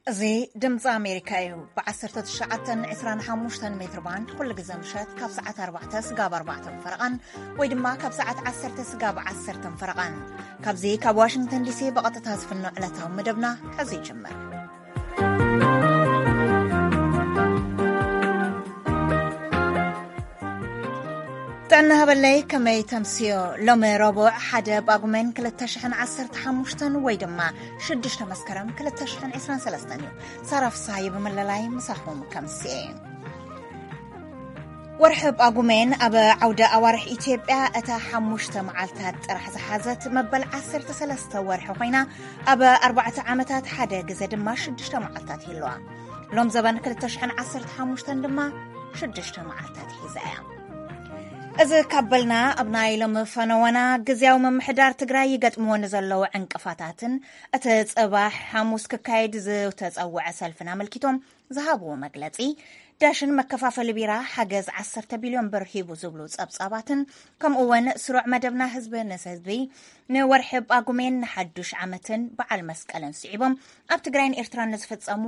እዚ ድምፂ ኣሜሪካ እዩ። ብ19 ን25 ሜትር ባንድ ኩሉ ግዜ ምሸት ካብ ሰዓት ኣርባዕተ ስጋብ ኣርባዕተ ፈረቓን ወይ ድማ ካብ ሰዓት ዓሰርተ ስጋብ ዓሰርተ ፈረቓን፣ ካብዚ ካብ ዋሽንግተን ዲሲ ብቐጥታ ዝፍኖ ዕለታዊ መደብና ሕዚ ይጅምር። ጥዕና ሃበለይ፣ ከመይ ተምስዮ? ሎሚ ረቡዕ ሓደ ጳጉሜን ክልተ ሽሕን ዓሰርተ ሓሙሽተን ወይ ድማ ሽዱሽተ መስከረም ክልተ ሽሕን ዕስራን ሰለስተን እዩ። ሳራ ፍስሃየ ብምልላይ ምሳኹም ከምስየ። ወርሒ ጳጉሜን ኣብ ዓውደ ኣዋርሕ ኢትዮጵያ እታ ሓሙሽተ መዓልታት ጥራሕ ዝሓዘት መበል ዓሰርተ ሰለስተ ወርሒ ኮይና፣ ኣብ ኣርባዕተ ዓመታት ሓደ ግዜ ድማ ሽዱሽተ መዓልታት ይህልዋ። ሎም ዘበን ክልተ ሽሕን ዓሰርተ ሓሙሽተን ድማ ሽዱሽተ መዓልታት ሒዛ እያ። እዚ ካብ በልና፣ ኣብ ናይ ሎሚ ፈነወና፣ ግዝያዊ ምምሕዳር ትግራይ ይገጥምዎ ንዘለዉ ዕንቅፋታትን እቲ ጽባሕ ሓሙስ ክካየድ ዝተጸውዐ ሰልፍን ኣመልኪቶም ዝሃብዎ መግለጺ፣ ዳሽን መከፋፈሊ ቢራ ሓገዝ ዓሰርተ ቢልዮን ብር ሂቡ ዝብሉ ጸብጻባትን፣ ከምኡ እውን ስሩዕ መደብና ህዝቢ ንህዝቢ ንወርሒ ጳጉሜን ንሓዱሽ ዓመትን በዓል መስቀልን ስዒቦም ኣብ ትግራይን ኤርትራን ንዝፍጸሙ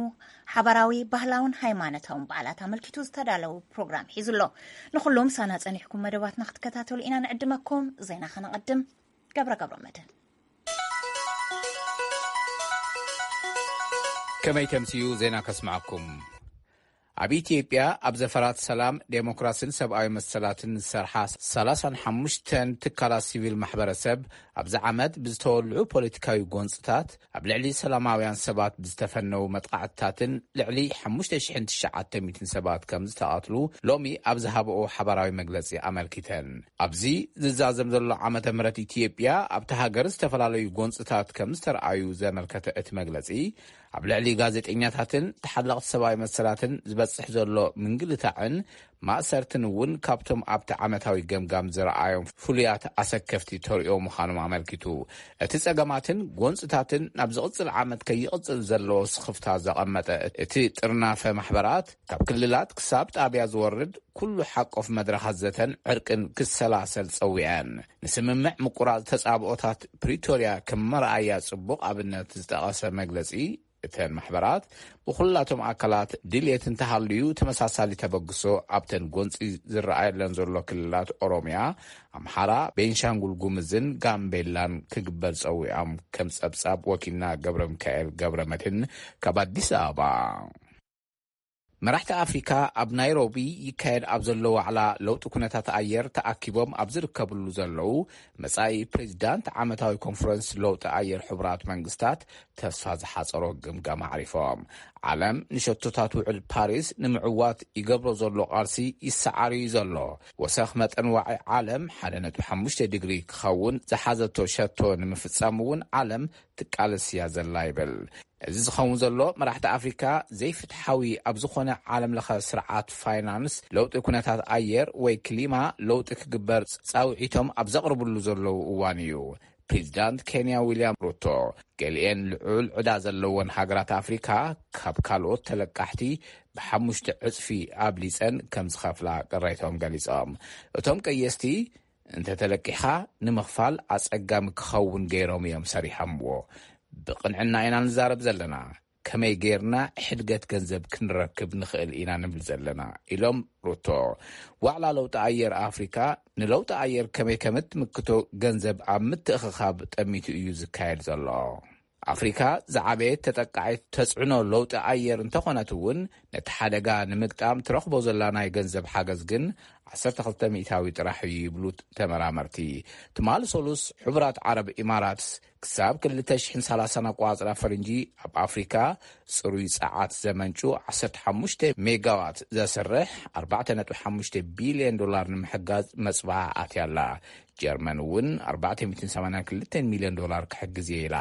ሓባራዊ ባህላውን ሃይማኖታውን በዓላት ኣመልኪቱ ዝተዳለዉ ፕሮግራም ሒዙ ኣሎ። ንኹሉ ምሳና ጸኒሕኩም መደባትና ክትከታተሉ ኢና ንዕድመኩም። ዜና ከነቐድም። ገብረ ገብረ መድህን። ከመይ ተምስዩ ዜና ከስምዓኩም። ኣብ ኢትዮጵያ ኣብ ዘፈራት ሰላም፣ ዴሞክራሲን ሰብኣዊ መሰላትን ዝሰርሓ ሰላሳን ሓሙሽተን ትካላት ሲቪል ማሕበረሰብ ኣብዚ ዓመት ብዝተወልዑ ፖለቲካዊ ጎንፅታት ኣብ ልዕሊ ሰላማውያን ሰባት ብዝተፈነዉ መጥቃዕትታትን ልዕሊ ሓሙሽተ ሽሕን ትሽዓተ ሚእትን ሰባት ከም ዝተቐትሉ ሎሚ ኣብ ዝሃበኦ ሓባራዊ መግለፂ ኣመልኪተን። ኣብዚ ዝዛዘም ዘሎ ዓመተ ምህረት ኢትዮጵያ ኣብቲ ሃገር ዝተፈላለዩ ጎንፅታት ከም ዝተረኣዩ ዘመልከተ እቲ መግለፂ፣ ኣብ ልዕሊ ጋዜጠኛታትን ተሓለቕቲ ሰብኣዊ መሰላትን ዝበፅሕ ዘሎ ምንግልታዕን ማእሰርትን እውን ካብቶም ኣብቲ ዓመታዊ ገምጋም ዝረኣዮም ፍሉያት ኣሰከፍቲ ተርእዮ ምዃኖም ኣመልኪቱ። እቲ ጸገማትን ጎንፅታትን ናብ ዝቕጽል ዓመት ከይቕጽል ዘለዎ ስኽፍታ ዘቐመጠ እቲ ጥርናፈ ማሕበራት፣ ካብ ክልላት ክሳብ ጣብያ ዝወርድ ኩሉ ሓቆፍ መድረኻት ዘተን ዕርቅን ክሰላሰል ጸዊዐን። ንስምምዕ ምቁራጽ ተጻብኦታት ፕሪቶርያ ከም መርኣያ ጽቡቕ ኣብነት ዝጠቐሰ መግለጺ፣ እተን ማሕበራት ብኹላቶም ኣካላት ድልየት እንተሃልዩ ተመሳሳሊ ተበግሶ ኣብተን ጎንፂ ዝረኣየለን ዘሎ ክልላት ኦሮሚያ፣ ኣምሓራ፣ ቤንሻንጉል ጉምዝን ጋምቤላን ክግበር ጸዊዖም፣ ከም ጸብጻብ ወኪልና ገብረ ሚካኤል ገብረ መድህን ካብ ኣዲስ ኣበባ። መራሕቲ ኣፍሪካ ኣብ ናይሮቢ ይካየድ ኣብ ዘሎ ዋዕላ ለውጢ ኩነታት ኣየር ተኣኪቦም ኣብ ዝርከብሉ ዘለዉ፣ መጻኢ ፕሬዚዳንት ዓመታዊ ኮንፈረንስ ለውጢ ኣየር ሕቡራት መንግስታት ተስፋ ዝሓጸሮ ግምጋም ኣዕሪፎም። ዓለም ንሸቶታት ውዕል ፓሪስ ንምዕዋት ይገብሮ ዘሎ ቃልሲ ይሰዓር እዩ ዘሎ። ወሰኽ መጠን ዋዒ ዓለም ሓደ ነጥቢ ሓሙሽተ ዲግሪ ክኸውን ዝሓዘቶ ሸቶ ንምፍጻም እውን ዓለም ትቃለስ እያ ዘላ ይብል። እዚ ዝኸውን ዘሎ መራሕቲ ኣፍሪካ ዘይፍትሓዊ ኣብ ዝኾነ ዓለም ለኸ ስርዓት ፋይናንስ ለውጢ ኩነታት ኣየር ወይ ክሊማ ለውጢ ክግበር ጻውዒቶም ኣብ ዘቕርብሉ ዘለዉ እዋን እዩ። ፕሬዚዳንት ኬንያ ዊልያም ሩቶ፣ ገሊኤን ልዑል ዕዳ ዘለወን ሃገራት ኣፍሪካ ካብ ካልኦት ተለቃሕቲ ብሓሙሽተ ዕጽፊ ኣብሊጸን ከም ዝኸፍላ ቅሬቶም ገሊጾም። እቶም ቀየስቲ፣ እንተተለቂሕኻ ንምኽፋል ኣጸጋሚ ክኸውን ገይሮም እዮም ሰሪሖምዎ። ብቕንዕና ኢና ንዛረብ ዘለና። ከመይ ጌርና ሕድገት ገንዘብ ክንረክብ ንኽእል ኢና ንብል ዘለና፣ ኢሎም ሩቶ። ዋዕላ ለውጢ ኣየር ኣፍሪካ ንለውጢ ኣየር ከመይ ከም እትምክቶ ገንዘብ ኣብ ምትእኽኻብ ጠሚቱ እዩ ዝካየድ ዘሎ። ኣፍሪካ ዝዓበየት ተጠቃዒት ተጽዕኖ ለውጢ ኣየር እንተኾነት እውን፣ ነቲ ሓደጋ ንምግጣም ትረኽቦ ዘላ ናይ ገንዘብ ሓገዝ ግን ዓሰርተ ክልተ ሚእታዊ ጥራሕ እዩ ይብሉ ተመራመርቲ። ትማሊ ሰሉስ ሕቡራት ዓረብ ኢማራትስ ክሳብ ክልተ ሽሕን ሰላሳን ኣቆጻጽራ ፈረንጂ ኣብ ኣፍሪካ ጽሩይ ጸዓት ዘመንጩ ዓሰርተ ሓሙሽተ ሜጋዋት ዘስርሕ ኣርባዕተ ነጥቢ ሓሙሽተ ቢልዮን ዶላር ንምሕጋዝ መጽብዓ ኣትያ ኣላ። ጀርመን እውን ኣርባዕተ ሚእትን ሰማንያን ክልተን ሚልዮን ዶላር ክሕግዝ እየ ኢላ።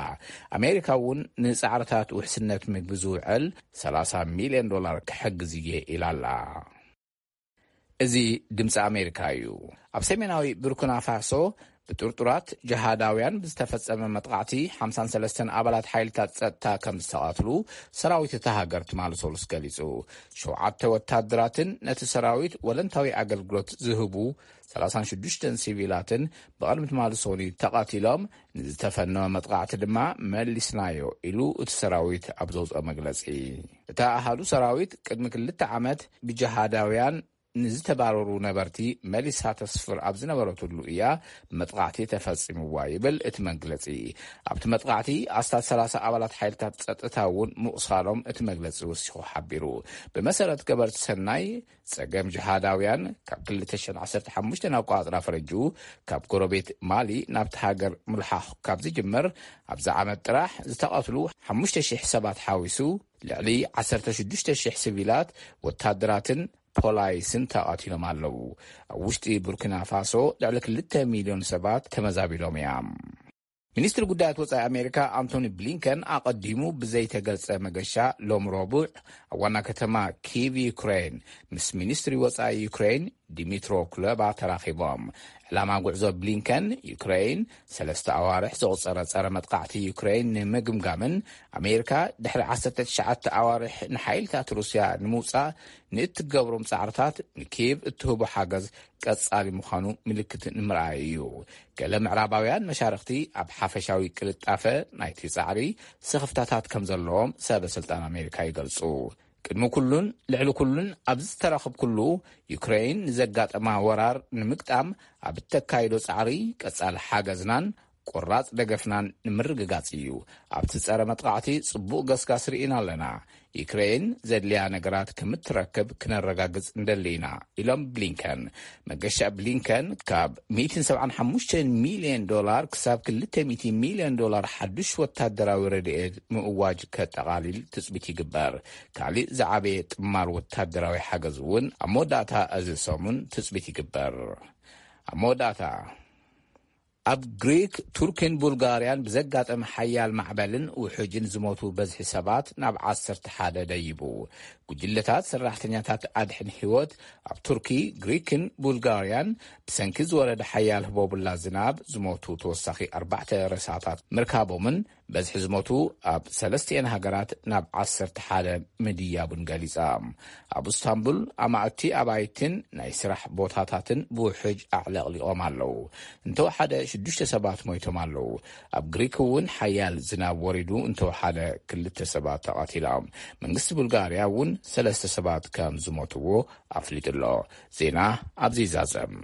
ኣሜሪካ እውን ንጻዕርታት ውሕስነት ምግቢ ዝውዕል ሰላሳ ሚልዮን ዶላር ክሕግዝ እየ ኢላ ኣላ። እዚ ድምፂ ኣሜሪካ እዩ። ኣብ ሰሜናዊ ቡርኪና ፋሶ ብጥርጡራት ጅሃዳውያን ብዝተፈጸመ መጥቓዕቲ ሓምሳን ሰለስተን ኣባላት ሓይልታት ጸጥታ ከም ዝተቐትሉ ሰራዊት እታ ሃገር ትማሊ ሰሉስ ገሊጹ። ሸውዓተ ወታደራትን ነቲ ሰራዊት ወለንታዊ ኣገልግሎት ዝህቡ ሰላሳን ሽዱሽተን ሲቪላትን ብቐድሚ ትማሊ ሰኑይ ተቐቲሎም፣ ንዝተፈነወ መጥቓዕቲ ድማ መሊስናዮ ኢሉ እቲ ሰራዊት ኣብ ዘውፅኦ መግለፂ። እታ ኣሃዱ ሰራዊት ቅድሚ ክልተ ዓመት ብጅሃዳውያን ንዝተባረሩ ነበርቲ መሊሳ ተስፍር ኣብ ዝነበረትሉ እያ መጥቓዕቲ ተፈጺምዋ ይብል እቲ መግለጺ። ኣብቲ መጥቓዕቲ ኣስታት ሰላሳ ኣባላት ሓይልታት ጸጥታ እውን ምቑሳሎም እቲ መግለጺ ወሲኹ ሓቢሩ። ብመሰረት ገበርቲ ሰናይ፣ ጸገም ጅሃዳውያን ካብ ክልተ ሽሕን ዓሰርተ ሓሙሽተን ኣቋጽራ ፈረንጁ ካብ ጎረቤት ማሊ ናብቲ ሃገር ምልሓኽ ካብ ዝጅምር፣ ኣብዚ ዓመት ጥራሕ ዝተቐትሉ ሓሙሽተ ሽሕ ሰባት ሓዊሱ፣ ልዕሊ ዓሰርተ ሽዱሽተ ሽሕ ሲቪላት፣ ወታደራትን ፖላይስን ተቐቲሎም ኣለዉ። ኣብ ውሽጢ ቡርኪና ፋሶ ልዕሊ ክልተ ሚልዮን ሰባት ተመዛቢሎም እዮም። ሚኒስትሪ ጉዳያት ወጻኢ ኣሜሪካ ኣንቶኒ ብሊንከን ኣቐዲሙ ብዘይተገልጸ መገሻ ሎም ረቡዕ ኣብ ዋና ከተማ ኪቭ ዩክሬን ምስ ሚኒስትሪ ወጻኢ ዩክሬን ዲሚትሮ ኩለባ ተራኺቦም። ዕላማ ጉዕዞ ብሊንከን ዩክሬን ሰለስተ ኣዋርሕ ዘቑጸረ ጸረ መጥቃዕቲ ዩክሬን ንምግምጋምን ኣሜሪካ ድሕሪ ዓሰርተ ትሽዓተ ኣዋርሕ ንሓይልታት ሩስያ ንምውጻእ ንእትገብሮም ጻዕርታት ንኪቭ እትህቦ ሓገዝ ቀጻሊ ምዃኑ ምልክት ንምርኣይ እዩ። ገለ ምዕራባውያን መሻርኽቲ ኣብ ሓፈሻዊ ቅልጣፈ ናይቲ ጻዕሪ ስኽፍታታት ከም ዘለዎም ሰበ ስልጣን ኣሜሪካ ይገልጹ። ቅድሚ ኩሉን ልዕሊ ኩሉን ኣብዚ ዝተረኽብኩሉ ዩክሬን ንዘጋጠማ ወራር ንምግጣም ኣብ እተካይዶ ጻዕሪ ቀጻሊ ሓገዝናን ቁራጽ ደገፍናን ንምርግጋጽ እዩ። ኣብቲ ጸረ መጥቃዕቲ ጽቡቕ ገስጋስ ርኢና ኣለና። ዩክሬን ዘድልያ ነገራት ከምትረክብ ክነረጋግጽ እንደሊ ኢና ኢሎም ብሊንከን። መገሻ ብሊንከን ካብ ሚእትን ሰብዓን ሓሙሽተን ሚልዮን ዶላር ክሳብ ክልተ ሚእቲ ሚልዮን ዶላር ሓዱሽ ወታደራዊ ረድኤት ምእዋጅ ከጠቓልል ትጽቢት ይግበር። ካልእ ዝዓበየ ጥማር ወታደራዊ ሓገዝ እውን ኣብ መወዳእታ እዚ ሰሙን ትጽቢት ይግበር። ኣብ መወዳእታ፣ ኣብ ግሪክ፣ ቱርክን ቡልጋርያን ብዘጋጠመ ሓያል ማዕበልን ውሑጅን ዝሞቱ በዝሒ ሰባት ናብ ዓሰርተ ሓደ ደይቡ። ጉጅለታት ሰራሕተኛታት ኣድሕን ህይወት ኣብ ቱርኪ፣ ግሪክን ቡልጋርያን ብሰንኪ ዝወረደ ሓያል ህቦቡላ ዝናብ ዝሞቱ ተወሳኺ ኣርባዕተ ሬሳታት ምርካቦምን በዝሒ ዝሞቱ ኣብ ሰለስቲኤን ሃገራት ናብ ዓሰርተ ሓደ ምድያቡን ገሊጻ። ኣብ እስታንቡል ኣማእቲ ኣባይትን ናይ ስራሕ ቦታታትን ብውሕጅ ኣዕለቕሊቖም ኣለዉ። እንተወሓደ ሽዱሽተ ሰባት ሞይቶም ኣለዉ። ኣብ ግሪክ እውን ሓያል ዝናብ ወሪዱ እንተወሓደ ክልተ ሰባት ተቐቲሎም። መንግስቲ ቡልጋርያ እውን ሰለስተ ሰባት ከም ዝሞትዎ ኣፍሊጡ ኣሎ። ዜና ኣብዚ ይዛዘም።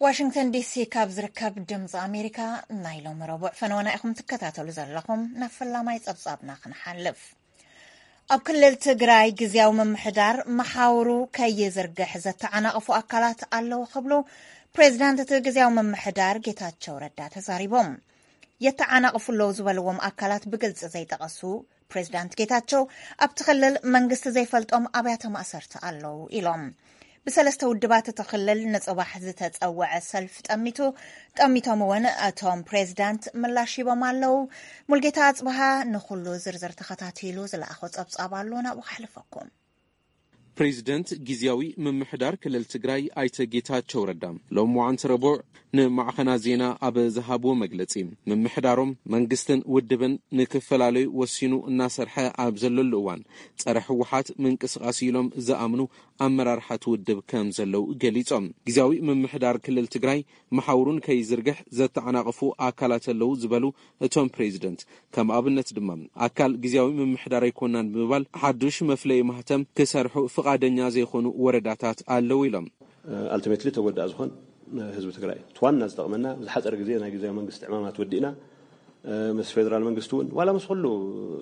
ዋሽንግተን ዲሲ ካብ ዝርከብ ድምፂ ኣሜሪካ ናይ ሎሚ ረቡዕ ፈነወና ኢኹም ትከታተሉ ዘለኹም። ናብ ፈላማይ ጸብጻብና ክንሓልፍ። ኣብ ክልል ትግራይ ግዝያዊ ምምሕዳር መሓውሩ ከይዝርግሕ ዘተዓናቕፉ ኣካላት ኣለዉ ክብሉ ፕሬዚዳንት እቲ ግዝያዊ ምምሕዳር ጌታቸው ረዳ ተዛሪቦም። የተዓናቕፉ ኣለዉ ዝበልዎም ኣካላት ብግልፂ ዘይጠቐሱ ፕሬዚዳንት ጌታቸው፣ ኣብቲ ክልል መንግስቲ ዘይፈልጦም ኣብያተ ማእሰርቲ ኣለዉ ኢሎም። ብሰለስተ ውድባት እቲ ክልል ንፅባሕ ዝተፀወዐ ሰልፍ ጠሚቱ፣ ጠሚቶም እውን እቶም ፕሬዚዳንት ምላሽ ሂቦም ኣለዉ። ሙልጌታ ኣፅብሃ ንኩሉ ዝርዝር ተኸታቲሉ ዝለኣኾ ፀብፃብ ኣሎ፣ ናብኡ ከሕልፈኩም። ፕሬዚደንት ግዝያዊ ምምሕዳር ክልል ትግራይ ኣይተ ጌታቸው ረዳ ሎም መዓንቲ ረቡዕ ንማዕኸና ዜና ኣብ ዝሃብዎ መግለጺ፣ ምምሕዳሮም መንግስትን ውድብን ንክፈላለዩ ወሲኑ እናሰርሐ ኣብ ዘለሉ እዋን፣ ጸረ ህወሓት ምንቅስቓስ ኢሎም ዝኣምኑ ኣመራርሓት ውድብ ከም ዘለዉ ገሊጾም። ግዝያዊ ምምሕዳር ክልል ትግራይ መሓውሩን ከይዝርግሕ ዘተዓናቕፉ ኣካላት ኣለዉ ዝበሉ እቶም ፕሬዚደንት፣ ከም ኣብነት ድማ ኣካል ግዝያዊ ምምሕዳር ኣይኮናን ብምባል ሓዱሽ መፍለዪ ማህተም ክሰርሑ ፍቓደኛ ዘይኮኑ ወረዳታት ኣለዉ ኢሎም። ኣልቲሜትሊ ተጎዳእ ዝኾን ህዝቢ ትግራይ እዩ። እቲ ዋና ዝጠቕመና ዝሓፀረ ግዜ ናይ ግዝያዊ መንግስቲ ዕማማት ወዲእና፣ ምስ ፌደራል መንግስቲ እውን ዋላ ምስ ኩሉ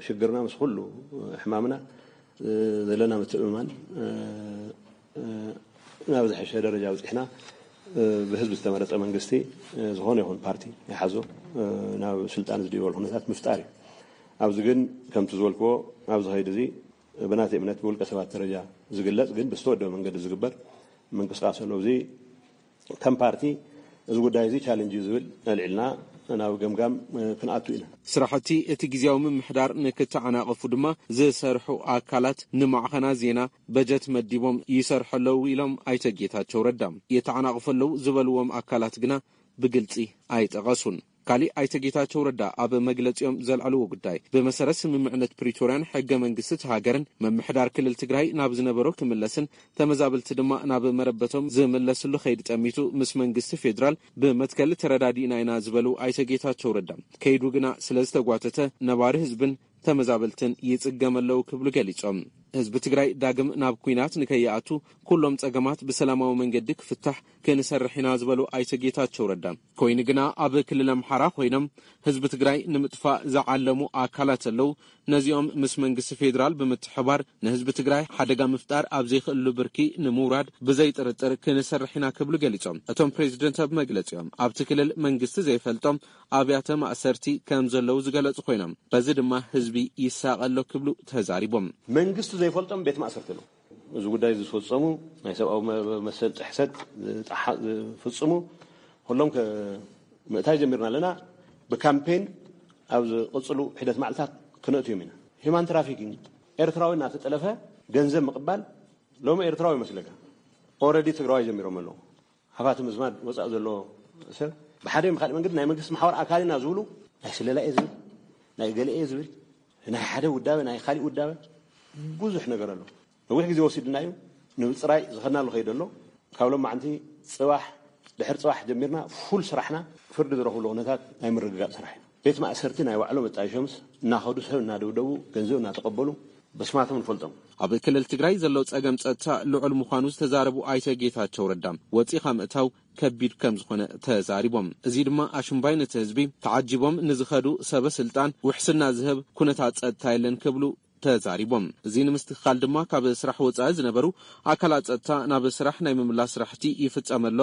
ሽግርና፣ ምስ ኩሉ ሕማምና ዘለና ምትእምማን ናብ ዝሐሸ ደረጃ ኣብፂሕና፣ ብህዝቢ ዝተመረፀ መንግስቲ፣ ዝኾነ ይኹን ፓርቲ ይሓዞ፣ ናብ ስልጣን ዝድይበሉ ኩነታት ምፍጣር እዩ። ኣብዚ ግን ከምቲ ዝበልክዎ ኣብዚ ኸይዲ እዚ ብናተይ እምነት ብውልቀ ሰባት ደረጃ ዝግለፅ ግን ብዝተወደበ መንገዲ ዝግበር ምንቅስቃስ ኣሎ። እዚ ከም ፓርቲ እዚ ጉዳይ እዚ ቻለንጅ እዩ ዝብል ኣልዒልና ናብ ገምጋም ክንኣቱ ኢና። ስራሕቲ እቲ ግዜያዊ ምምሕዳር ንክተዓናቐፉ ድማ ዝሰርሑ ኣካላት ንማዕኸና ዜና በጀት መዲቦም ይሰርሑ ኣለዉ ኢሎም ኣይተ ጌታቸው ረዳ። የተዓናቕፉ ኣለዉ ዝበልዎም ኣካላት ግና ብግልፂ ኣይጠቐሱን። ካሊእ ኣይተ ጌታቸው ረዳ ኣብ መግለፂኦም ዘልዐልዎ ጉዳይ፣ ብመሰረት ስምምዕነት ፕሪቶርያን ሕገ መንግስቲ እቲ ሃገርን ምምሕዳር ክልል ትግራይ ናብ ዝነበሮ ክምለስን ተመዛበልቲ ድማ ናብ መረበቶም ዝምለስሉ ከይዲ ጠሚቱ ምስ መንግስቲ ፌዴራል ብመትከል ተረዳዲእና ኢና ዝበሉ ኣይተ ጌታቸው ረዳ፣ ከይዱ ግና ስለ ዝተጓተተ ነባሪ ህዝብን ተመዛበልትን ይጽገም ኣለዉ ክብሉ ገሊጾም። ህዝቢ ትግራይ ዳግም ናብ ኲናት ንከይኣቱ ኩሎም ጸገማት ብሰላማዊ መንገዲ ክፍታሕ ክንሰርሕ ኢና ዝበሉ ኣይተ ጌታቸው ረዳ፣ ኮይኑ ግና ኣብ ክልል ኣምሓራ ኮይኖም ህዝቢ ትግራይ ንምጥፋእ ዝዓለሙ ኣካላት ኣለዉ። ነዚኦም ምስ መንግስቲ ፌዴራል ብምትሕባር ንህዝቢ ትግራይ ሓደጋ ምፍጣር ኣብ ዘይክእሉ ብርኪ ንምውራድ ብዘይ ጥርጥር ክንሰርሕ ኢና ክብሉ ገሊጾም። እቶም ፕሬዚደንት ኣብ መግለጺኦም ኣብቲ ክልል መንግስቲ ዘይፈልጦም ኣብያተ ማእሰርቲ ከም ዘለዉ ዝገለጹ ኮይኖም በዚ ድማ ህዝቢ ይሳቐ ኣሎ ክብሉ ተዛሪቦም። መንግስቱ ዘይፈልጦም ቤት ማእሰርቲ ኣለዉ። እዚ ጉዳይ ዝፈጸሙ ናይ ሰብኣዊ መሰል ጥሕሰት ዝፍጽሙ ኩሎም ምእታይ ጀሚርና ኣለና። ብካምፔን ኣብ ዝቕፅሉ ሒደት መዓልታት ክነእትዮም ኢና። ሂማን ትራፊኪንግ ኤርትራዊ እናተጠለፈ ገንዘብ ምቕባል ሎሚ ኤርትራዊ ይመስለካ። ኦረዲ ትግራዋይ ጀሚሮም ኣለዉ። ሃፋቲ ምዝማድ ወፃእ ዘሎ ሰብ ብሓደ ይም ካልእ መንገዲ ናይ መንግስቲ መሓወር ኣካል ኢና ዝብሉ ናይ ስለላ እየ ዝብል ናይ ገለ እየ ዝብል ናይ ሓደ ውዳበ ናይ ካሊእ ውዳበ ብዙሕ ነገር ኣሎ። ነዊሕ ግዜ ወሲድና እዩ ንምፅራይ ዝኸድናሉ ከይደ ኣሎ። ካብ ሎማዓንቲ ፅባሕ ድሕሪ ፅባሕ ጀሚርና ፉል ስራሕና ፍርዲ ዝረኽብሉ ኩነታት ናይ ምርግጋፅ ስራሕ እዩ። ቤት ማእሰርቲ ናይ ባዕሎም መጣይሾምስ እናኸዱ ሰብ እናደብደቡ ገንዘብ እናተቐበሉ በስማቶም ንፈልጦም። ኣብ ክልል ትግራይ ዘሎ ፀገም ፀጥታ ልዑል ምዃኑ ዝተዛረቡ ኣይተ ጌታቸው ረዳ ወፂኻ ምእታው ከቢድ ከም ዝኾነ ተዛሪቦም። እዚ ድማ ኣሽምባይ ነቲ ህዝቢ ተዓጂቦም ንዝኸዱ ሰበ ስልጣን ውሕስና ዝህብ ኩነታት ፀጥታ የለን ክብሉ ተዛሪቦም። እዚ ንምስትክኻል ድማ ካብ ስራሕ ወፃኢ ዝነበሩ ኣካላት ፀጥታ ናብ ስራሕ ናይ ምምላስ ስራሕቲ ይፍፀም ኣሎ።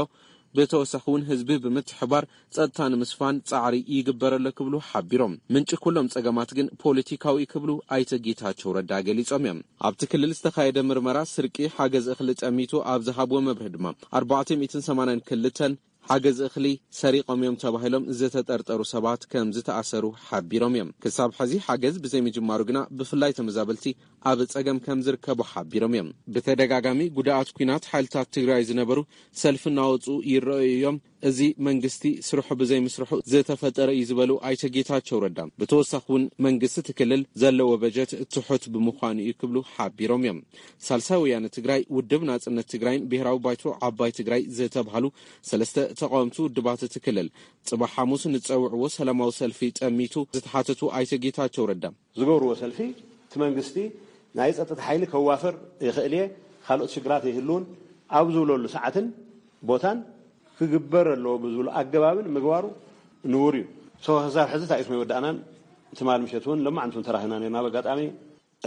ብተወሳኺ እውን ህዝቢ ብምትሕባር ፀጥታ ንምስፋን ፃዕሪ ይግበር ኣሎ ክብሉ ሓቢሮም። ምንጪ ኩሎም ፀገማት ግን ፖለቲካዊ ክብሉ ኣይተ ጌታቸው ረዳ ገሊፆም እዮም። ኣብቲ ክልል ዝተኻየደ ምርመራ ስርቂ ሓገዝ እኽሊ ጠሚቱ ኣብ ዝሃብዎ መብርሂ ድማ ኣርባዕተ ሚእትን ሰማንያን ክልተን ሓገዝ እኽሊ ሰሪቖም እዮም ተባሂሎም ዝተጠርጠሩ ሰባት ከም ዝተኣሰሩ ሓቢሮም እዮም። ክሳብ ሕዚ ሓገዝ ብዘይምጅማሩ ግና ብፍላይ ተመዛበልቲ ኣብ ጸገም ከም ዝርከቡ ሓቢሮም እዮም። ብተደጋጋሚ ጉዳኣት ኲናት ሓይልታት ትግራይ ዝነበሩ ሰልፊ እናወፁ ይረኣዩ እዮም። እዚ መንግስቲ ስርሑ ብዘይምስርሑ ዝተፈጠረ እዩ ዝበሉ ኣይተ ጌታቸው ረዳ፣ ብተወሳኺ እውን መንግስቲ እቲ ክልል ዘለዎ በጀት ትሑት ብምዃኑ እዩ ክብሉ ሓቢሮም እዮም። ሳልሳይ ወያነ ትግራይ፣ ውድብ ናጽነት ትግራይን ብሄራዊ ባይቶ ዓባይ ትግራይ ዝተብሃሉ ሰለስተ ተቃወምቲ ውድባት እቲ ክልል ጽባሕ ሓሙስ ንጸውዕዎ ሰላማዊ ሰልፊ ጠሚቱ ዝተሓተቱ ኣይተ ጌታቸው ረዳ፣ ዝገብርዎ ሰልፊ እቲ መንግስቲ ናይ ጸጥታ ሓይሊ ከዋፈር ይኽእል እየ፣ ካልኦት ሽግራት ይህልውን ኣብ ዝብለሉ ሰዓትን ቦታን ክግበር ኣለዎ ብዝብሎ ኣገባብን ምግባሩ ንቡር እዩ። ሶ ክሳብ ሕዚ ታይስሞ ይወዳእናን ትማል ምሸት እውን ለማዓንቱን ተራኺብና ነርና። ኣብ ኣጋጣሚ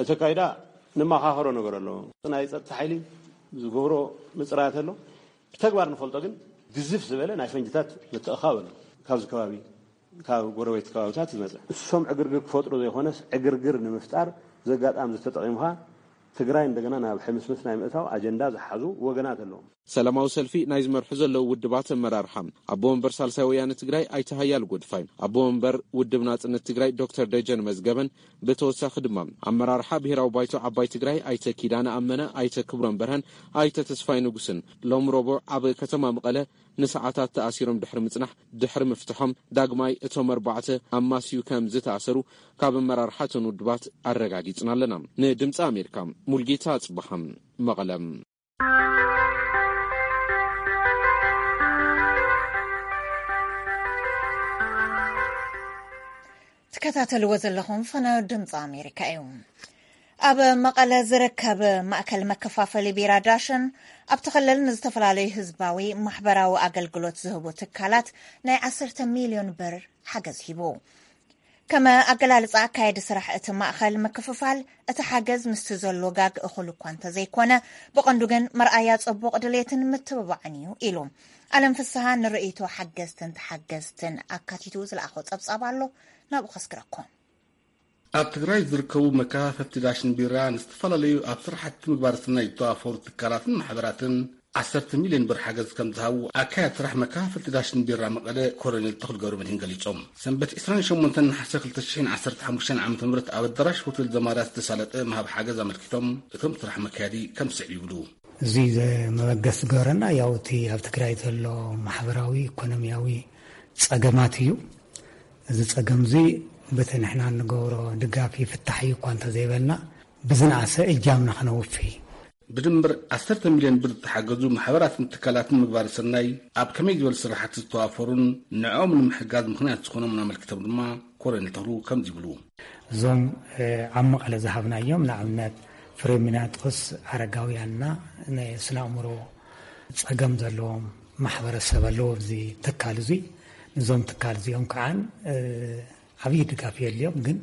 እቲ ካይዳ ንመኻኸሮ ነገር ኣሎ። ናይ ጸጥታ ሓይሊ ዝገብሮ ምጽራያት ኣሎ። ብተግባር ንፈልጦ ግን ግዝፍ ዝበለ ናይ ፈንጅታት ምትእኻብ ኣሎ። ካብዚ ከባቢ ካብ ጎረቤት ከባብታት ዝመጸ እሶም ዕግርግር ክፈጥሩ ዘይኮነስ ዕግርግር ንምፍጣር ዘጋጣም ዝተጠቒምኻ ትግራይ እንደገና ናብ ሕምስምስ ናይ ምእታው ኣጀንዳ ዝሓዙ ወገናት ኣለዎም። ሰላማዊ ሰልፊ ናይ ዝመርሑ ዘለዉ ውድባት ኣመራርሓ ኣቦ ወንበር ሳልሳይ ወያነ ትግራይ ኣይተ ሃያል ጎድፋይ፣ ኣቦ ወንበር ውድብ ናጽነት ትግራይ ዶክተር ደጀን መዝገበን፣ ብተወሳኺ ድማ ኣመራርሓ ብሄራዊ ባይቶ ዓባይ ትግራይ ኣይተ ኪዳነ ኣመነ፣ ኣይተ ክብሮም በርሀን ኣይተ ተስፋይ ንጉስን ሎም ረቡዕ ኣብ ከተማ መቐለ ንሰዓታት ተኣሲሮም ድሕሪ ምጽናሕ ድሕሪ ምፍትሖም ዳግማይ እቶም ኣርባዕተ ኣማስዩ ከም ዝተኣሰሩ ካብ ኣመራርሓ እተን ውድባት ኣረጋጊጽና ኣለና። ንድምፂ ኣሜሪካ ሙልጌታ ኣጽብሃም መቐለም። ትከታተልዎ ዘለኹም ፈናዮ ድምፂ ኣሜሪካ እዩ። ኣብ መቐለ ዝርከብ ማእከል መከፋፈሊ ቢራ ዳሸን ኣብቲ ክልል ንዝተፈላለዩ ህዝባዊ ማሕበራዊ ኣገልግሎት ዝህቡ ትካላት ናይ ዓሰርተ ሚልዮን ብር ሓገዝ ሂቡ። ከመ ኣገላልጻ ኣካየዲ ስራሕ እቲ ማእኸል ምክፍፋል እቲ ሓገዝ ምስቲ ዘሎ ጋግ እኹል እኳ እንተዘይኮነ ብቐንዱ ግን መርኣያ ጽቡቕ ድሌትን ምትብባዕን እዩ ኢሉ። ኣለም ፍስሃ ንርእይቶ ሓገዝትን ተሓገዝትን ኣካቲቱ ዝለኣኾ ጸብጻብ ኣሎ፣ ናብኡ ከስግረኩም። ኣብ ትግራይ ዝርከቡ መከፋፈቲ ዳሽን ቢራ ንዝተፈላለዩ ኣብ ስራሕቲ ምግባር ስናይ ዝተዋፈሩ ትካላትን ማሕበራትን ዓሰርተ ሚልዮን ብር ሓገዝ ከም ዝሃቡ ኣካያዲ ስራሕ መከፋፈልቲ ዳሽን ቢራ መቐለ ኮሎኔል ተኽሉ ገብረመድህን ገሊጾም። ሰንበት ዕስራን ሸሞንተን ነሓሰ ክልተ ሽሕን ዓሰርተ ሓሙሽተን ዓመተ ምህረት ኣብ ኣዳራሽ ሆቴል ዘማርያ ዝተሳለጠ ምሃብ ሓገዝ ኣመልኪቶም፣ እቶም ስራሕ መካየዲ ከም ስዕብ ይብሉ። እዚ ዘ-፣ መበገሲ ዝገበረና ያው እቲ ኣብ ትግራይ ዘሎ ማሕበራዊ፣ ኢኮኖሚያዊ ጸገማት እዩ። እዚ ጸገም እዚ በቲ ንሕና እንገብሮ ድጋፍ ይፍታሕ እዩ እኳ እንተዘይበልና፣ ብዝነኣሰ እጃምና ከነውፊ። ብድምር ዓሰርተ ሚልዮን ብር ዝተሓገዙ ማሕበራትን ትካላትን ምግባረ ሰናይ ኣብ ከመይ ዝበሉ ስራሕቲ ዝተዋፈሩን ንዕኦም ንምሕጋዝ ምኽንያት ዝኾኖምን ኣመልኪቶም ድማ ኮሎኔል ተኽሉ ከምዚ ይብሉ። እዞም፣ እ፣ ኣብ መቐለ ዝሃብናዮም፣ ንኣብነት ፍሬሚናጦስ ኣረጋውያንና፣ ናይ ስነ ኣእምሮ ጸገም ዘለዎም ማሕበረሰብ ኣለዎ ኣብዚ ትካል እዙይ። ንዞም ትካል እዚኦም ከዓን፣ እ፣ ዓብዪ ድጋፍ የድልዮም፣ ግን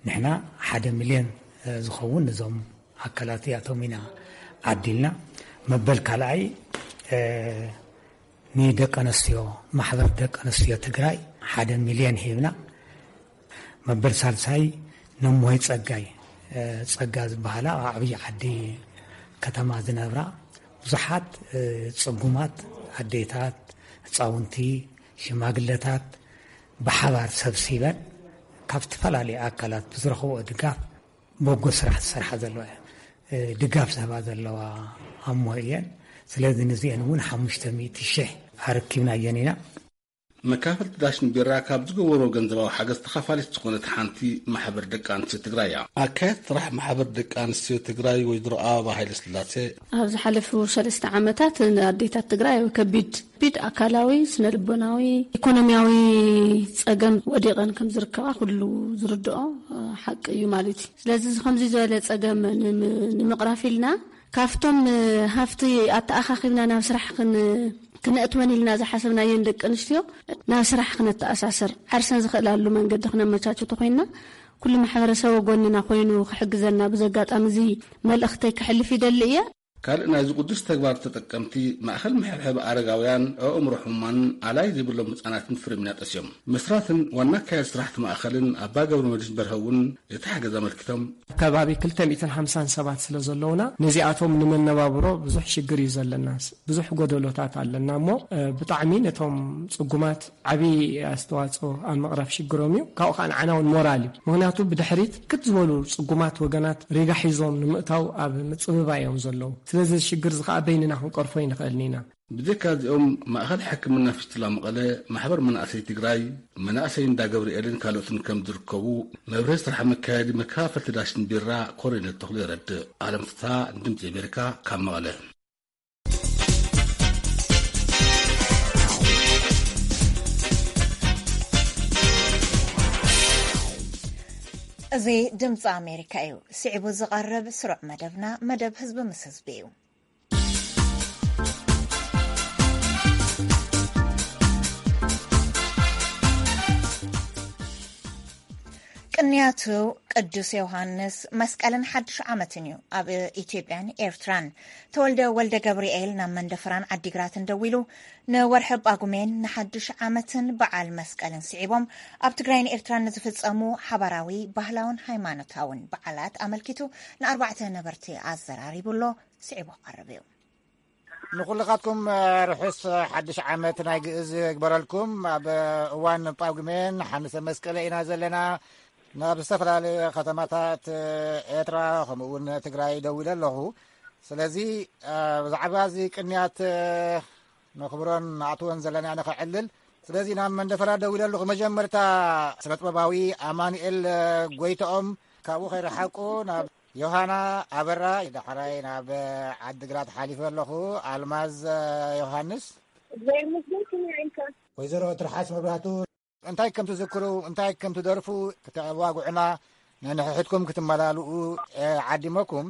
ንሕና ሓደ ሚልዮን፣ እ፣ ዝኸውን ንዞም ኣካላት እዚኣቶም ኢና ዓዲልና። መበል ካልኣይ፣ እ፣ ንደቂ ኣንስትዮ፣ ማሕበር ደቂ ኣንስትዮ ትግራይ ሓደ ሚልዮን ሂብና። መበል ሳልሳይ ነሞይ ጸጋይ፣ እ፣ ጸጋ ዝበሃላ ኣብ ዓብዪ ዓዲ ከተማ ዝነብራ ብዙሓት፣ እ፣ ጽጉማት ኣዴታት፣ ህጻውንቲ፣ ሽማግለታት ብሓባር ሰብሲበን ካብ ዝተፈላለዩ ኣካላት ብዝረኽብኦ ድጋፍ በጎ ስራሕ ዝሰርሓ ዘለዋ እየ። እ፣ ድጋፍ ዝህባ ዘለዋ ኣሞ እየን። ስለዚ ንዚአን እውን ሓሙሽተ ሚእቲ ሺሕ ኣረኪብናየን ኢና። መካፈልቲ ዳሽን ቢራ ካብ ዝገበሮ ገንዘባዊ ሓገዝ ተኻፋሊት ዝኾነት ሓንቲ ማሕበር ደቂ ኣንስትዮ ትግራይ እያ። ኣካየት ስራሕ ማሕበር ደቂ ኣንስትዮ ትግራይ ወይዘሮ ኣበባ ሃይለ ስላሴ፣ ኣብ ዝሓለፉ ሰለስተ ዓመታት ንኣዴታት ትግራይ ኣብ ከቢድ፣ ከቢድ ኣካላዊ፣ ስነ ልቦናዊ፣ ኢኮኖሚያዊ ጸገም ወዲቐን ከም ዝርከባ ኩሉ ዝርድኦ፣ እ፣ ሓቂ እዩ ማለት እዩ። ስለዚ እዚ ከምዚ ዝበለ ጸገም ንም-፣ ንምቕራፍ ኢልና ካብቶም፣ እ፣ ሃፍቲ ኣተኣኻኺብና ናብ ስራሕ ክን-፣ ክነእትወን ኢልና ዝሓሰብናየን ደቂ ኣንስትዮ ናብ ስራሕ ክነተኣሳስር ዓርሰን ዝኽእላሉ መንገዲ ክነመቻችቶ ኮይንና፣ ኩሉ ማሕበረሰብ ጎንና ኮይኑ ክሕግዘና ብዚ ኣጋጣሚ እዚ መልእኽተይ ከሕልፍ ይደሊ እየ። ካልእ ናይዚ ቅዱስ ተግባር ተጠቀምቲ ማእኸል ምሕብሐብ ኣረጋውያን፣ ኣእምሮ ሕሙማንን ኣላይ ዘይብሎም ህፃናትን ፍሬሚናጦስ እዮም። መስራትን ዋና ኣካያዲ ስራሕቲ ማእኸልን ኣባ ገብረ መድህን በርሀ እውን እቲ ሓገዝ ኣመልኪቶም። ኣብ ከባቢ ክልተ ሚእትን ሓምሳን ሰባት ስለ ዘለውና፣ ነዚኣቶም ንመነባብሮ ብዙሕ ሽግር እዩ ዘለና። ብዙሕ ጎደሎታት ኣለና እሞ፣ እ፣ ብጣዕሚ ነቶም ጽጉማት ዓቢ ኣስተዋጽኦ ኣብ ምቕራብ ሽግሮም እዩ። ካብኡ ከኣ ንዓና እውን ሞራል እዩ። ምኽንያቱ ብድሕሪት ክት ዝበሉ ጽጉማት ወገናት ሪጋ ሒዞም ንምእታው ኣብ ምጽብባይ እዮም ዘለዉ። ስለዚ እዚ ሽግር እዚ ከኣ በይንና ክንቀርፎ ኣይንኽእልን ኢና። ብዘይካ እዚኦም፣ ማእኸል ሕክምና ፊስቱላ መቐለ፣ ማሕበር መናእሰይ ትግራይ፣ መናእሰይ እንዳ ገብርኤልን ካልኦትን ከም ዝርከቡ መብርሂ ስራሕ መካየዲ መከፋፈልቲ ዳሽን ቢራ ኮሎኔል ተኽሉ የረድእ። ኣለም ፍስሃ፣ ድምጺ ኣሜሪካ፣ ካብ መቐለ። እዚ ድምፂ ኣሜሪካ እዩ። ስዒቡ ዝቐርብ ስሩዕ መደብና፣ መደብ ህዝቢ ምስ ህዝቢ እዩ። ቅንያቱ ቅዱስ ዮሃንስ መስቀልን ሓድሽ ዓመትን እዩ ኣብ ኢትዮጵያን ኤርትራን። ተወልደ ወልደ ገብርኤል ናብ መንደፈራን ዓዲግራትን ደዊሉ ንወርሒ ጳጉሜን ንሓድሽ ዓመትን በዓል መስቀልን ስዒቦም ኣብ ትግራይን ኤርትራን ንዝፍጸሙ ሓባራዊ ባህላውን ሃይማኖታውን በዓላት ኣመልኪቱ ንኣርባዕተ ነበርቲ ኣዘራሪቡ ኣሎ። ስዒቡ ክቐርብ እዩ። ንኹልኻትኩም፣ እ፣ ርሑስ ሓድሽ ዓመት ናይ ግእዝ ይግበረልኩም። ኣብ እዋን ጳጉሜን ሓንሰ መስቀለ ኢና ዘለና። ናብ ዝተፈላለዩ ከተማታት ኤርትራ ከምኡ እውን ትግራይ ደዊለ ኣለኹ። ስለዚ፣ እ፣ ብዛዕባ እዚ ቅንያት፣ እ፣ ነኽብሮን ንኣትዎን ዘለና ንኸዕልል። ስለዚ ናብ መንደፈራ ደዊለ ኣለኹ። መጀመርታ ስነ ጥበባዊ ኣማኑኤል፣ እ፣ ጎይትኦም ካብኡ ከይረሓቁ ናብ ዮሃና ኣበራ፣ ዳሕራይ ናብ ዓዲግራት ሓሊፈ ኣለኹ። ኣልማዝ ዮሃንስ። እግዚኣብሔር ይመስገን፣ ከመይ ኢልካ? ወይዘሮ ትርሓስ መብራህቱ። እንታይ ከም ትዝክሩ፣ እንታይ ከም ትደርፉ ክተዋግዑና፣ ነንሕድሕድኩም ክትመላልኡ፣ እ፣ ዓዲመኩም።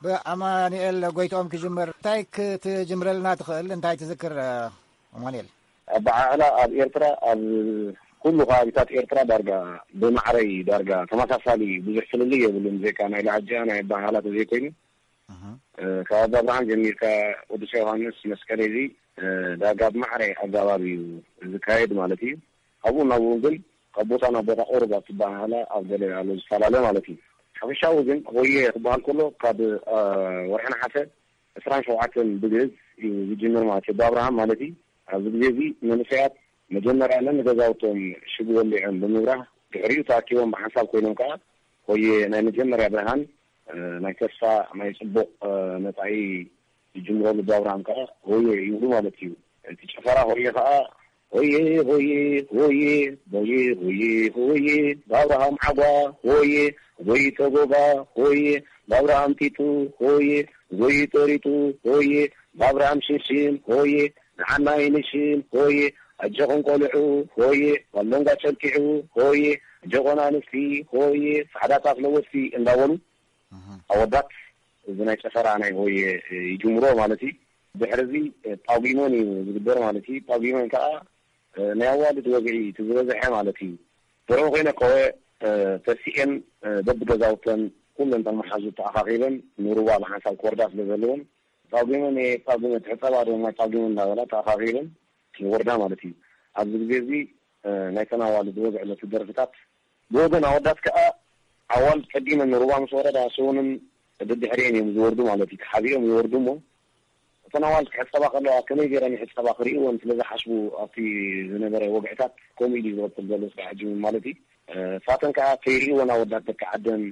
ብኣማኑኤል ጎይትኦም ክጅምር፣ እንታይ ክትጅምረልና ትኽእል? እንታይ ትዝክር፣ እ፣ ኣማኑኤል? ኣበዓዕላ ኣብ ኤርትራ፣ ኣብ ኩሉ ከባቢታት ኤርትራ ዳርጋ ብማዕረይ ዳርጋ ተመሳሳሊ ብዙሕ ፍልልይ የብሉን። ብዘይካ ናይ ላዕጃ ናይ ኣበሃህላ ተዘይኮይኑ፣ እህ። እ፣ ካብ ኣባ ብርሃን ጀሚርካ ቅዱስ ዮሃንስ መስቀል እዚ፣ እ፣ ዳርጋ ብማዕረ ኣገባብ እዩ ዝካየድ ማለት እዩ። ኣብኡ ናብኡ ግን ካብ ቦታ ናብ ቦታ ቁሩብ ኣብ ትበሃህላ ኣብ ገለ ኣሎ ዝፈላለ ማለት እዩ። ሓፈሻዊ ግን ሆየ ክበሃል ከሎ ካብ፣ እ፣ ወርሒ ነሓሰ ዕስራን ሸውዓተን ብግእዝ፣ እዩ ዝጅምር ማለት እዩ። ብኣብርሃም ማለት እዩ። ኣብዚ ግዜ እዚ መንእሰያት መጀመርያ ነንገዛውቶም ሽግ ወሊዖም ብምብራህ፣ ድሕሪኡ ተኣኪቦም ብሓንሳብ ኮይኖም ከኣ ሆየ ናይ መጀመርያ ብርሃን፣ እ፣ ናይ ተስፋ፣ ናይ ጽቡቕ፣ እ፣ መጻኢ ዝጅምረሉ ብኣብርሃም ከኣ ሆየ ይብሉ ማለት እዩ። እቲ ጭፈራ ሆየ ከኣ ሆየ ሆየ ሆየ ሆየ ሆየ ሆየ ብኣብርሃም ዓጓ ሆየ ሆየ ተጎጋ ሆየ ብኣብርሃም ጢጡ ሆየ ሆየ ጠሪጡ ሆየ ብኣብርሃም ሽንሽን ሆየ ንዓናይ ንሽን ሆየ ኣጆኹም ቆልዑ ሆየ ባሎንጋ ጨልቂዑ ሆየ ኣጆኾን ኣንስቲ ሆየ ጻዕዳ ጣፍ ለወስቲ እንዳበሉ ኣወዳት እዚ ናይ ጨፈራ ናይ ሆየ ይጅምሮ ማለት እዩ። ድሕሪ እዚ ጳጉመን እዩ ዝግበር ማለት እዩ። ጳጉመን ከዓ ናይ ኣዋልድ ወግዒ እቲ ዝበዝሐ ማለት እዩ። ደርሆ ኮይነ ከወ ተሲኤን በብገዛውተን ኩለን ተመሓዙ ተኣኻኺበን ንሩባ ብሓንሳብ ክወርዳ ስለ ዘለወን ጳጉመን እየ ጳጉመ ትሕፀባ ዶ ማይ ጳጉመን እንዳበላ ተኣኻኺበን ይወርዳ ማለት እዩ። ኣብዚ ግዜ እዚ ናይተን ኣዋልድ ወግዒ ነቲ ደርፍታት ብወገን ኣወዳት ከኣ ኣዋልድ ቀዲመን ንሩባ ምስ ወረዳ ሰውንን ደድሕሪኤን እዮም ዝወርዱ ማለት እዩ። ተሓቢኦም ይወርዱ እሞ እተን ኣዋልድ ክሕጸባ ከለዋ ከመይ ገይረን ይሕጸባ ክርእይወን ስለ ዝሓስቡ ኣብቲ ዝነበረ ወግዕታት ከምኡ ኢሉ እዩ ዝቕጽል ዘሎ እስካዕ ሕጂ እውን ማለት እዩ። ንሳተን ከኣ ከይርእይወን ኣወዳት ደቂ ዓደን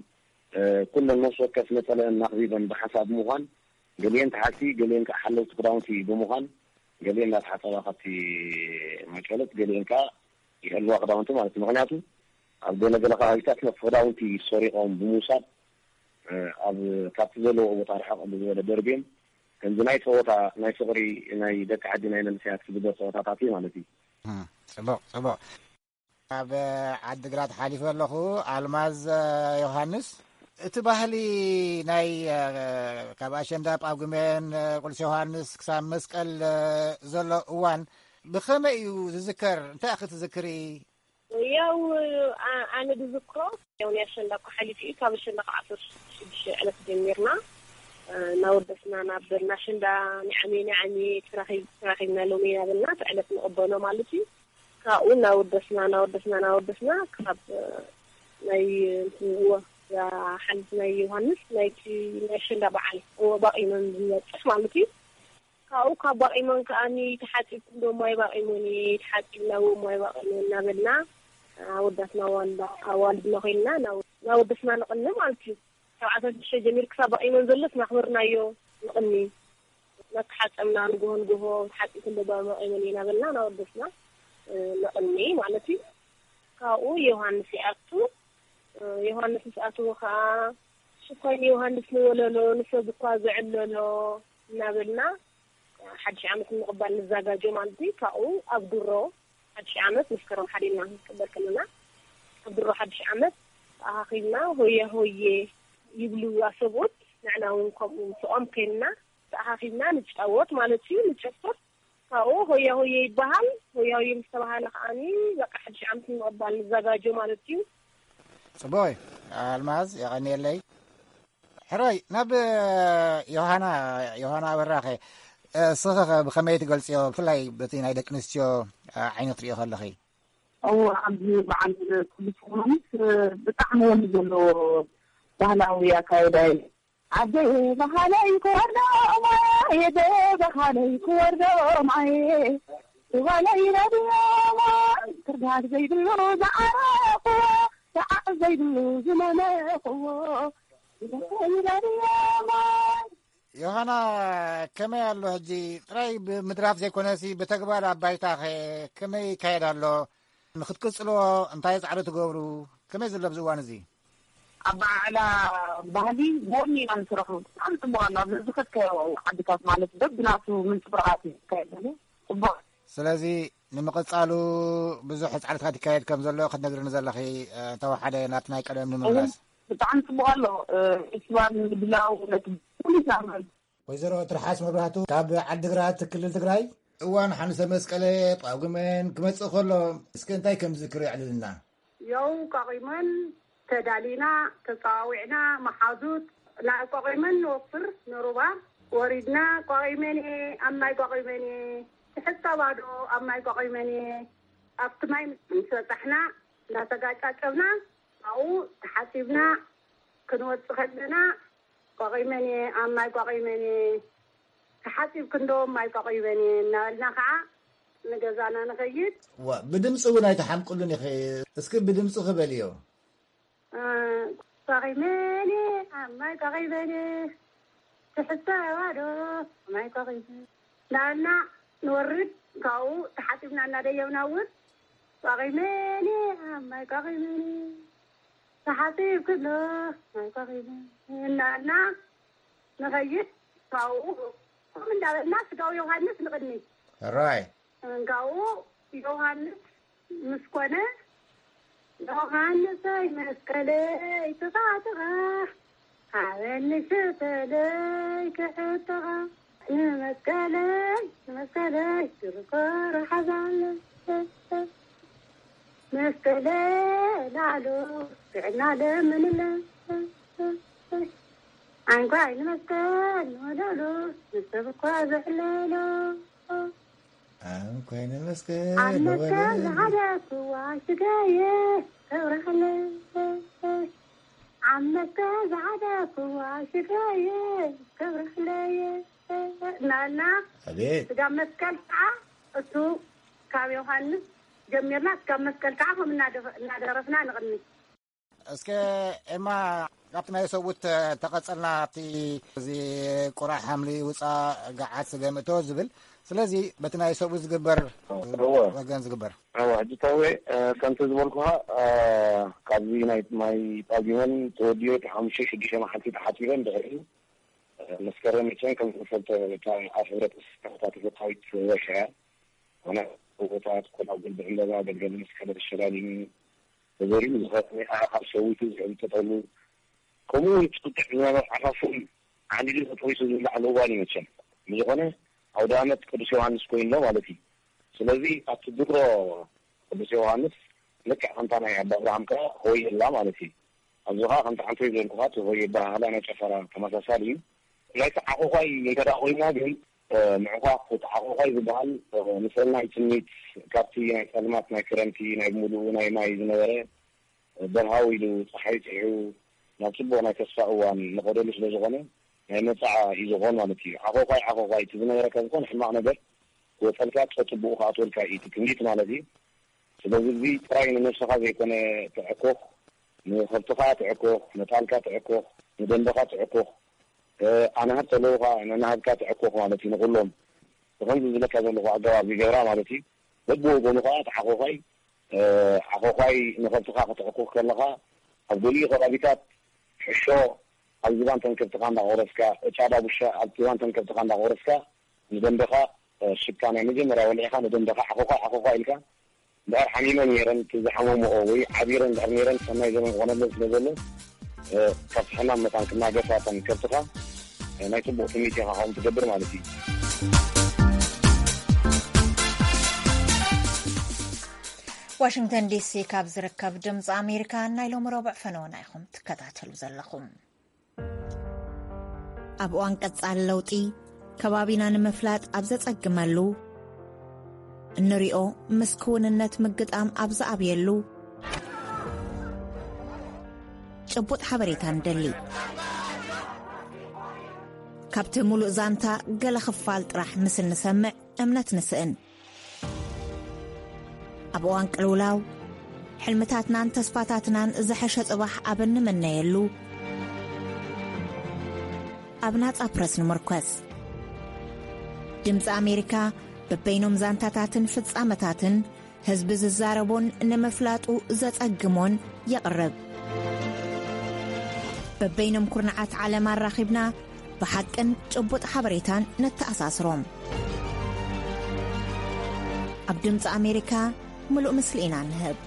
ኩለን ነፍሲ ወከፍ ነጸለአን ኣኽቢበን ብሓንሳብ ብምዃን ገሊኤን ተሓቲ ገሊኤን ከኣ ሓለውቲ ክዳውንቲ ብምዃን ገሊኤን እናተሓጸባ ካብቲ መጨለት ገሊኤን ከኣ ይሕልዋ ክዳውንቲ ማለት እዩ። ምኽንያቱ ኣብ ገለገለ ከባቢታት ነቲ ክዳውንቲ ሰሪቖም ብምውሳድ ኣብ ካብቲ ዘለውኦ ቦታ ርሕቕ ብዝበለ ደርብዮም ከምዚ ናይ ፀወታ ናይ ፍቕሪ ናይ ደቂ ዓዲ ናይ መንእሰያት ዝግበር ፀወታታት እዩ ማለት እዩ። ጽቡቕ ጽቡቕ። ኣብ ዓድግራት ሓሊፈ ኣለኹ። ኣልማዝ ዮሃንስ፣ እቲ ባህሊ ናይ ካብ ኣሸንዳ ጳጉሜን ቁልሲ ዮሃንስ ክሳብ መስቀል ዘሎ እዋን ብኸመይ እዩ ዝዝከር? እንታይ ኢኺ ትዝክሪ? ያው ኣነ ዝዝክሮ ያው ናይ ኣሸንዳ እኮ ሓሊፉ እዩ። ካብ ኣሸንዳ ካብ ዓሰርተ ሽዱሽተ ዕለት ጀሚርና እናወደስና ናብ በልና ኣሸንዳ ንዓሚ ንዓሚ ተራኺብና ሎሚ እናበልና እቲ ዕለት ንቕበሎ ማለት እዩ። ካብኡ እናወደስና እናወደስና እናወደስና ካብ ናይ እንትን እዎ ሓልፍ ናይ ዮሃንስ ናይቲ ናይ ኣሸንዳ በዓል እዎ ባቒመን ዝበፅሕ ማለት እዩ። ካብኡ ካብ ባቒመን ከኣኒ ተሓፂብኩም ዶ ማይ ባቒሙኒ ተሓፂብና እዎ ማይ ባቒሙ እናበልና ኣወዳትና ዋንዳ ኣዋልድና ኮይንና እናወደስና ንቕኒ ማለት እዩ። ካብ ዓሰርተ ሽዱሽተ ጀሚሩ ክሳብ ባቒመን ዘሎስ እናኽበርናዮ ንቕኒ። እናተሓፀብና ንግሆ ንግሆ ተሓፂብኩም ዶ ባቒመን እየ እናበልና እናወደስና ንቕኒ ማለት እዩ። ካብኡ ዮሃንስ ይኣቱ። ዮሃንስ ምስ ኣተወ ከዓ ሽኮይን ዮሃንስ ንወለሎ ንሰብ እኳ ዝዕለሎ እናበልና ሓድሽ ዓመት ንምቕባል ንዘጋጆ ማለት እዩ። ካብኡ ኣብ ድሮ ሓድሽ ዓመት መስከረም ሓደ ኢልና ክንቅበል ከለና ኣብ ድሮ ሓድሽ ዓመት ተኣኻኺብና ሆያ ሆየ ይብሉ ኣሰብኡት ንዕና እውን ከምኡ ምስኦም ኮይንና ተኣኻኺብና ንጫወት ማለት እዩ። ንጨፍር ካብኡ ሆያ ሆየ ይበሃል። ሆያ ሆየ ምስ ተባሃለ ከዓኒ በቃ ሓድሽ ዓመት ንምቕባል ንዘጋጆ ማለት እዩ። ጽቡይ ኣልማዝ የቐንየለይ። ሕራይ ናብ ዮሃና ዮሃና ኣበራኸ እስኸኸ ብኸመይ ትገልጽዮ ብፍላይ በቲ ናይ ደቂ ኣንስትዮ ዓይኒ ክትሪኦ ከለኺ? እዎ ኣብዚ በዓል ቅዱስ ዮሃንስ ብጣዕሚ ወኒ ዘለዎ ባህላዊ ኣካየዳ እዩ። ኣደ ባህለይ ክወርዶ ማየ ኣደ ባህለይ ክወርዶ ማየ ባህለይ ረድዮ ማየ ክርዳድ ዘይብሉ ዝዓረኽዎ ሰዓት ዘይብሉ ዝመመኽዎ ዮሃና ከመይ ኣሎ ሕጂ? ጥራይ ብምድራፍ ዘይኮነሲ ብተግባር ኣብ ባይታ ከ ከመይ ይካየድ ኣሎ? ንክትቅጽልዎ እንታይ ጻዕሪ ትገብሩ? ከመይ ዘሎ ኣብዚ እዋን እዚ? ኣበዓዕላ ባህሊ ጎኒ ኢና ንስርሑ። ብጣዕሚ ጽቡቕ ኣሎ። ኣብዚ ዝኸድካዮ ዓድታት ማለት በብናቱ ምንጽብራቓት እዩ ዝካየድ ዘሎ። ጽቡቕ። ስለዚ ንምቕጻሉ ብዙሕ ጻዕርታት ይካየድ ከም ዘሎ ክትነግርኒ ዘለኺ እንተወሓደ ናብቲ ናይ ቀደም ንምምላስ። ብጣዕሚ ጽቡቕ ኣሎ። ፌስቲቫል ንምድላው ነቲ ኩሉ ይዛመድ። ወይዘሮ ትርሓስ መብራህቱ ካብ ዓድግራት ክልል ትግራይ። እዋን ሓንሰ መስቀለ ጳጉመን ክመጽእ ከሎ እስከ እንታይ ከም ዝዝክር የዕልልና። ያው ቋቒመን ተዳሊና ተጸዋዊዕና መሓዙት ናብ ቋቒመን ንወፍር ንሩባ ወሪድና ቋቒመን እየ ኣብ ማይ ቋቒመን እየ ትሕጸባ ዶ ኣብ ማይ ቋቒመን እየ ኣብቲ ማይ ምስ በጻሕና እናተጋጫጨብና ኣብኡ ተሓጺብና ክንወጽእ ከለና ቋቒመን እየ ኣብ ማይ ቋቒመን እየ ተሓጺብኪ እንዶ ማይ ቆቒበን እየ እናበልና ከዓ ንገዛና ንኸይድ። ዋ፣ ብድምፂ እውን ኣይተሓምቅሉን ኢኺ። እስኪ ብድምፂ ክበልዮ። እ፣ ቆቒመን እየ፣ ኣብ ማይ ቆቒመን እየ። ትሕተዋ ዶ ማይ ቆቒመን? እናበልና ንወርድ፣ ካብኡ ተሓጺብና እናደየብና እውን ቆቒመን እየ፣ ኣብ ማይ ቆቒመን እየ። ተሓጺብኪ እንዶ ማይ ቆቒመን እናበልና ንኸይድ። ካብኡ ከምኡ እንዳበልና ስጋው ዮሃንስ ንቕድሚ። ሕራይ። እንካኡ ዮሃንስ ምስ ኮነ፣ ዮሃንሰይ መስቀለይ ተጣጥቓ፣ ሃበኒ ሽተለይ ክሕጥቓ። ንመስቀለይ፣ ንመስቀለይ፣ ዝርኮሮ ሓዛለ። መስቀለይ ላዕሉ፣ ጥዕና ለምንለ። ዓንኳይ ንመስቀል ንወለሉ፣ ንሰብ እኳ ዘዕለሎ። ዓንኳይ ንመስቀል ኣብ መስቀል ንወለሉ። ዝሓደኩዋ ሽገየ ከብረኽለይ። ኣብ መስቀል ዝሓደኩዋ ሽገየ ከብረኽለይ። እናበልና ኣቤት። ስጋ መስቀል ከዓ እሱ ካብ ዮሃንስ ጀሚርና ስጋ መስቀል ከዓ ከም እናደፈ-፣ እናደረፍና ንቕኒ። እስከ ኤማ፣ ካብቲ ናይ ሰብኡት ተቐጸልና፣ ኣብቲ እዚ ቁራዕ ሓምሊ ውጻእ ገዓት ስገም እቶ ዝብል፣ ስለዚ በቲ ናይ ሰብኡት ዝግበር እወ። ወገን ዝግበር። እወ፣ ሕጂ ታወ፣ እ፣ ከምቲ ዝበልኩኻ፣ እ፣ ካብዚ ናይ ማይ ጳጉመን ተወዲኡ እቲ ሓሙሽተ ሽዱሽተ መዓልቲ ተሓጺበን ድሕሪኡ፣ እ፣ መስከረም መቸም ከም ዝፈልጦ እታ ኣብ ሕብረት ተሳታፊት ወርሒ እያ። ኮነ ጎቦታት፣ ኮነ ጉልቢ ዕምበባ፣ ገልገል መስቀል ተሸላሊሙ፣ ተዘሪኡ ዝኸፈለ ኣዕኻኽ ሸዊቱ ዝዕብጠጠሉ፣ ከምኡ እውን ጽቅጥዕ ዝነበረ ዓፋፉን ዓንዲዱ ተጠቢሱ ዝብላዕ ምእዋል እዩ መቸም። ብዝኾነ ኣውደ ኣመት ቅዱስ ዮሃንስ ኮይኑሎ ማለት እዩ። ስለዚ ኣብቲ ድሮ ቅዱስ ዮሃንስ ልክዕ ከምታ ናይ ኣባ ኣብርሃም ከኣ ሆየላ ማለት እዩ። ኣብዚ ኸኣ ከምቲ ዓንተይ ዝበልኩኻ እቲ ሆየ ኣበሃህላ ናይ ጨፈራ ተመሳሳሊ እዩ። ናይቲ ዓኾዃይ እንተ ደኣ ኮይና ግን፣ እ፣ ምዕዃኽ እቲ ዓኾዃይ ዝበሃል፣ እ፣ ንሰናይ ትምኒት ካብቲ ናይ ጸልማት ናይ ክረምቲ ናይ ብምሉኡ ናይ ማይ ዝነበረ፣ እ፣ በርሃው ኢሉ ጸሓይ ጽሒሑ ናብ ጽቡቕ ናይ ተስፋ እዋን ንኸደሉ ስለ ዝኾነ ናይ መጻዓ እዩ ዝኾን ማለት እዩ። ዓኾዃይ ዓኾዃይ እቲ ዝነበረካ ዝኾነ ሕማቕ ነገር ክወጸልካ ጸጽቡቑ ክኣትወልካ እዩ እቲ ትምኒት ማለት እዩ። ስለዚ እዚ ጥራይ ንነብስኻ ዘይኮነ ተዕኮኽ፣ ንኸብትኻ ተዕኮኽ፣ ንጣልካ ተዕኮኽ፣ ንደንበኻ ተዕኮኽ፣ እ፣ ኣናህብ ተለዉ ኸዓ ነናህብካ ተዕኮኽ ማለት እዩ ንኹሎም። ብኸምዚ ዝብለካ ዘለኹ ኣገባብ ይገብራ ማለት እዩ። በብወገኑ ኸዓ እቲ ዓኾዃይ፣ እ፣ ዓኾዃይ ንኸብትኻ ከተዕኩኽ ከለኻ ኣብ ገሊኡ ከባቢታት ሕሾ ኣብ ዝባን ተንከብትኻ እንዳቖረስካ፣ እጫ ዳጉሻ ኣብ ዝባን ተንከብትኻ እንዳቖረስካ ንደንበኻ፣ እ፣ ሽታ ናይ መጀመርያ ወሊዕኻ ንደንበኻ ዓኾዃይ ዓኾዃይ ኢልካ እንድሕር ሓሚመን ነይረን፣ እቲ ዝሓመመኦ ወይ ዓቢረን እንድሕር ነይረን፣ ሰናይ ዘመን ክኾነለን ስለ ዘሎ፣ እ፣ ካብቲ ሕማም መታን ክናገፋ እተን ከብትኻ፣ እ፣ ናይ ጽቡቕ ትምኒት ኢኻ ከምኡ ትገብር ማለት እዩ። ዋሽንግተን ዲሲ ካብ ዝርከብ ድምፂ ኣሜሪካ ናይ ሎሚ ረቡዕ ፈነወና ኢኹም ትከታተሉ ዘለኹም። ኣብ እዋን ቀጻሊ ለውጢ፣ ከባቢና ንምፍላጥ ኣብ ዘጸግመሉ፣ እንሪኦ ምስ ክውንነት ምግጣም ኣብ ዝኣብየሉ፣ ጭቡጥ ሓበሬታ ንደሊ። ካብቲ ሙሉእ ዛንታ ገለ ክፋል ጥራሕ ምስ እንሰምዕ እምነት ንስእን። ኣብ እዋን ቅልውላው፣ ሕልምታትናን ተስፋታትናን ዝሐሸ ጽባሕ ኣብ እንምነየሉ፣ ኣብ ናጻ ፕረስ ንምርኮስ። ድምጺ ኣሜሪካ በበይኖም ዛንታታትን ፍጻመታትን ህዝቢ ዝዛረቦን ንምፍላጡ ዘጸግሞን የቕርብ። በበይኖም ኩርናዓት ዓለም ኣራኺብና ብሓቅን ጭቡጥ ሓበሬታን ነተኣሳስሮም። ኣብ ድምፂ ኣሜሪካ ምሉእ ምስሊ ኢና ንህብ።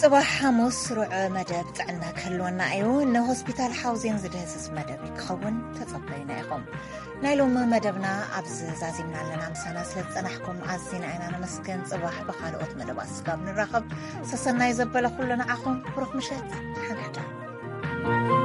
ጽባሕ ሓሙስ ርዑ መደብ ጥዕና ክህልወና እዩ። ንሆስፒታል ሓውዜን ዝድህስስ መደብ ክኸውን ተጸበዩና ኢኹም። ናይ ሎሚ መደብና ኣብዚ ዛዚምና ኣለና። ምሳና ስለ ዝጸናሕኩም ኣዚና ኢና ነመስግን። ጽባሕ ብኻልኦት መደባት ስጋብ ንራኸብ፣ ሰሰናዩ ዘበለ ኩሉ ንዓኹም። ብሩኽ ምሸት። ደሓን ሕደሩ።